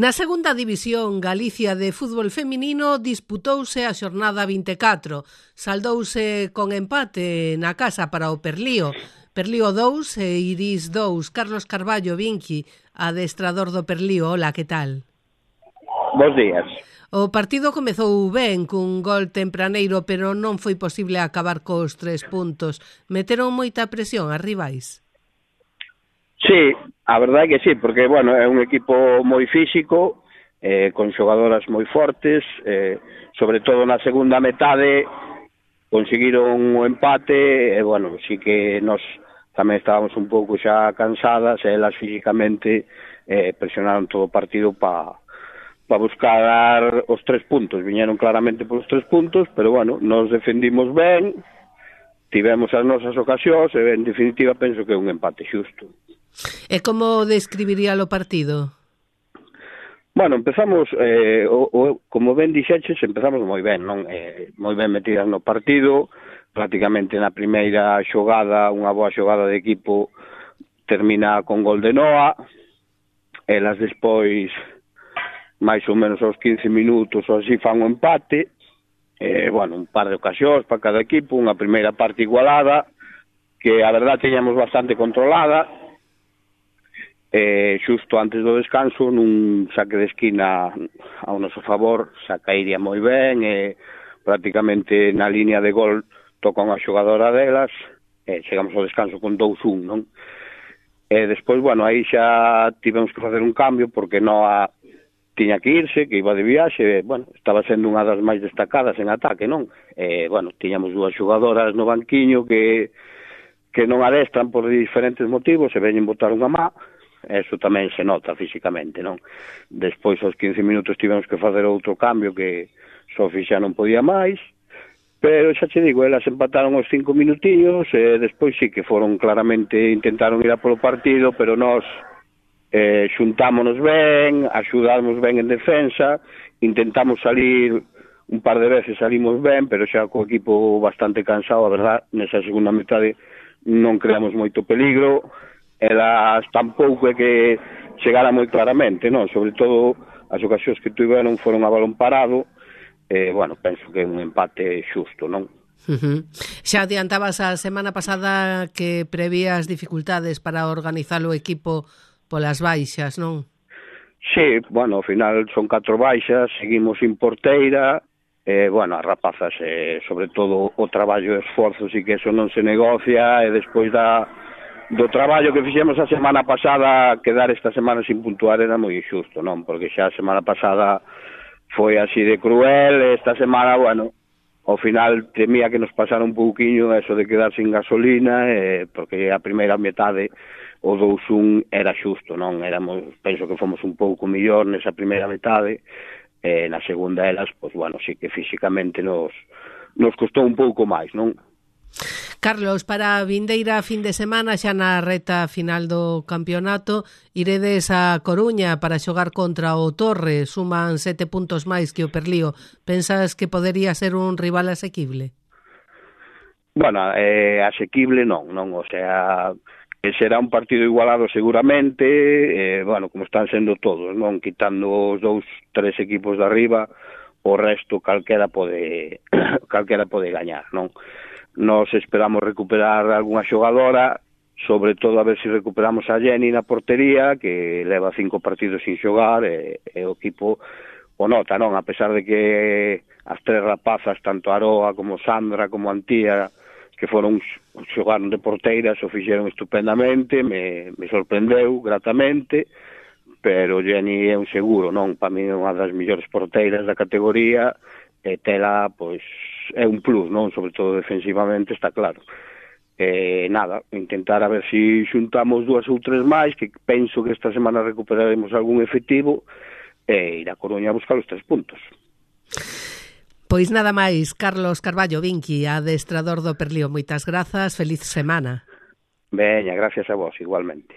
Na segunda división Galicia de fútbol feminino disputouse a xornada 24. Saldouse con empate na casa para o Perlío. Perlío 2 e Iris 2. Carlos Carballo Vinqui, adestrador do Perlío. Hola, que tal? Bos días. O partido comezou ben cun gol tempraneiro, pero non foi posible acabar cos 3 puntos. Meteron moita presión as rivais? Sí, a verdade é que sí, porque, bueno, é un equipo moi físico, con xogadoras moi fortes, sobre todo na segunda metade conseguiron o empate, e, bueno, sí que nos tamén estábamos un pouco xa cansadas, e elas físicamente presionaron todo o partido para buscar os 3 puntos, viñeron claramente polos 3 puntos, pero, bueno, nos defendimos ben, tivemos as nosas ocasións, e, en definitiva, penso que é un empate xusto. E como describiría o partido? Bueno, empezamos, como ben dixeches, empezamos moi ben, non? Moi ben metidas no partido, prácticamente na primeira xogada, unha boa xogada de equipo, termina con gol de Noa, elas despois, máis ou menos aos 15 minutos ou así, fan o empate, bueno, un par de ocasións para cada equipo, unha primeira parte igualada, que a verdade teñamos bastante controlada, xusto antes do descanso, nun saque de esquina ao noso favor, saca Iria moi ben, prácticamente na línea de gol toca unha xogadora delas, chegamos ao descanso con 2-1, non? Despois, bueno, aí xa tivemos que facer un cambio, porque Noa tiña que irse, que iba de viaxe, bueno, estaba sendo unha das máis destacadas en ataque, non? Bueno, tiñamos dúas xogadoras no banquiño que non adestran por diferentes motivos, e veñen botar unha má, eso tamén se nota físicamente, non? Despois, aos 15 minutos, tivemos que facer outro cambio que Sofi xa non podía máis, pero xa che digo, elas empataron os 5 minutiños, e despois sí que foron claramente, intentaron ir a polo partido, pero nós xuntámonos ben, axudamos ben en defensa, intentamos salir un par de veces, salimos ben, pero xa co equipo bastante cansado, a verdad, nesa segunda metade non creamos moito peligro, elas tampouco é que chegara moi claramente, non? Sobre todo as ocasións que tiveron foron a balón parado, bueno, penso que é un empate xusto, non? Xa adiantabas a semana pasada que prevías dificultades para organizar o equipo polas baixas, non? Sí, bueno, ao final son 4 baixas, seguimos sin porteira, bueno, as rapazas, sobre todo o traballo e esforzo, sí que eso non se negocia, e despois do traballo que fixemos a semana pasada, quedar esta semana sin puntuar era moi injusto, non? Porque xa a semana pasada foi así de cruel, esta semana, bueno, ao final temía que nos pasara un pouquiño eso de quedar sin gasolina, porque a primeira metade, o 2-1 era xusto, non? Penso que fomos un pouco millor nesa primeira metade, na segunda elas, pois, bueno, sí que físicamente nos costou un pouco máis, non? Carlos, para a vindeira fin de semana, xa na reta final do campeonato, iredes a Coruña para xogar contra o Torre, suman 7 puntos máis que o Perlío. Pensas que podería ser un rival asequible? Bueno, asequible non, o sea, será un partido igualado seguramente, bueno, como están sendo todos, non? Quitando os 2-3 equipos de arriba, o resto calquera pode gañar, non? Nos esperamos recuperar algunha xogadora, sobre todo a ver se recuperamos a Jenny na portería, que leva 5 partidos sin xogar, e o equipo o nota, non? A pesar de que as 3 rapazas, tanto Aroa como Sandra como Antía, que foron xogaron de porteiras, o fixeron estupendamente, me sorprendeu gratamente, pero Jenny é un seguro, non? Para mí é unha das mellores porteiras da categoría, e tela, pois, é un plus, non? Sobre todo defensivamente, está claro. Nada, intentar a ver se xuntamos 2 ou 3 máis, que penso que esta semana recuperaremos algún efectivo, e ir a Coruña a buscar os 3 puntos. Pois nada máis, Carlos Carballo Vinqui, adestrador do Perlío, moitas grazas, feliz semana. Veña, gracias a vos, igualmente.